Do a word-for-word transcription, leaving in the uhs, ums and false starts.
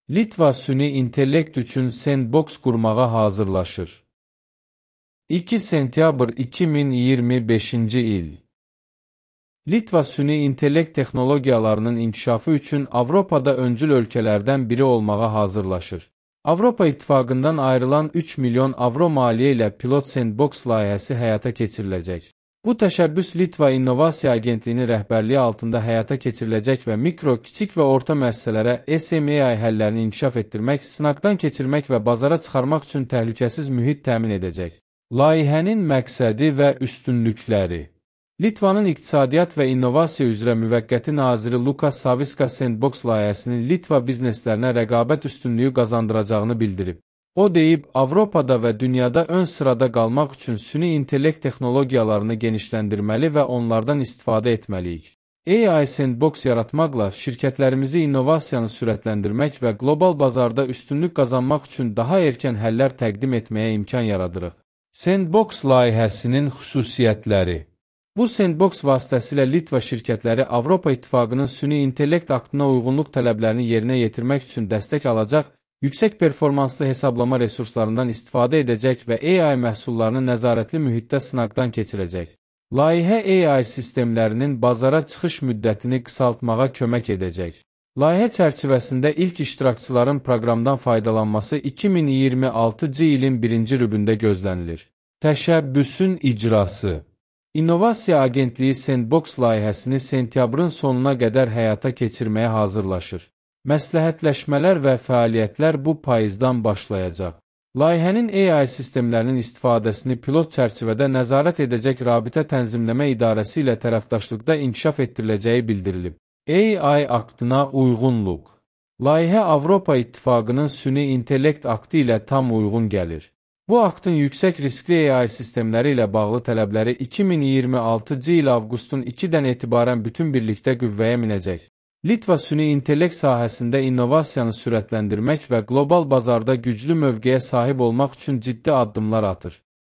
Litva süni intellekt üçün sandbox qurmağa hazırlaşır. iki sentyabr iki min iyirmi beşinci il. Litva süni intellekt texnologiyalarının inkişafı üçün Avropada öncül ölkələrdən biri olmağa hazırlaşır. Avropa İttifaqından ayrılan üç milyon avro maliyyə ilə pilot sandbox layihəsi həyata keçiriləcək. Bu təşəbbüs Litva İnnovasiya Agentliyinin rəhbərliyi altında həyata keçiriləcək və mikro, kiçik və orta müəssisələrə S M A I həllərini inkişaf etdirmək, sınaqdan keçirmək və bazara çıxarmaq üçün təhlükəsiz mühit təmin edəcək. Layihənin məqsədi və üstünlükləri. Litvanın İqtisadiyyat və İnnovasiya üzrə müvəqqəti naziri Lukas Saviska sandbox layihəsinin Litva bizneslərinə rəqabət üstünlüyü qazandıracağını bildirib. O deyib, Avropada və dünyada ön sırada qalmaq üçün süni intellekt texnologiyalarını genişləndirməli və onlardan istifadə etməliyik. A I sandbox yaratmaqla şirkətlərimizi innovasiyanı sürətləndirmək və qlobal bazarda üstünlük qazanmaq üçün daha erkən həllər təqdim etməyə imkan yaradırıq. Sandbox layihəsinin xüsusiyyətləri. Bu sandbox vasitəsilə Litva şirkətləri Avropa İttifaqının süni intellekt aktına uyğunluq tələblərini yerinə yetirmək üçün dəstək alacaq, yüksək performanslı hesablama resurslarından istifadə edəcək və A I məhsullarını nəzarətli mühitdə sınaqdan keçirəcək. Layihə A I sistemlərinin bazara çıxış müddətini qısaltmağa kömək edəcək. Layihə çərçivəsində ilk iştirakçıların proqramdan faydalanması iki min iyirmi altıncı ilin birinci rübündə gözlənilir. Təşəbbüsün icrası. İnnovasiya Agentliyi sandbox layihəsini sentyabrın sonuna qədər həyata keçirməyə hazırlaşır. Məsləhətləşmələr və fəaliyyətlər bu payızdan başlayacaq. Layihənin A I sistemlərinin istifadəsini pilot çərçivədə nəzarət edəcək Rabitə Tənzimləmə İdarəsi ilə tərəfdaşlıqda inkişaf etdiriləcəyi bildirilib. A I aktına uyğunluq. Layihə Avropa İttifaqının süni intellekt aktı ilə tam uyğun gəlir. Bu aktın yüksək riskli A I sistemləri ilə bağlı tələbləri iki min iyirmi altıncı il avqustun ikidən etibarən bütün birlikdə qüvvəyə minəcək. Litva süni intellekt sahəsində innovasiyanı sürətləndirmək və qlobal bazarda güclü mövqeyə sahib olmaq üçün ciddi addımlar atır.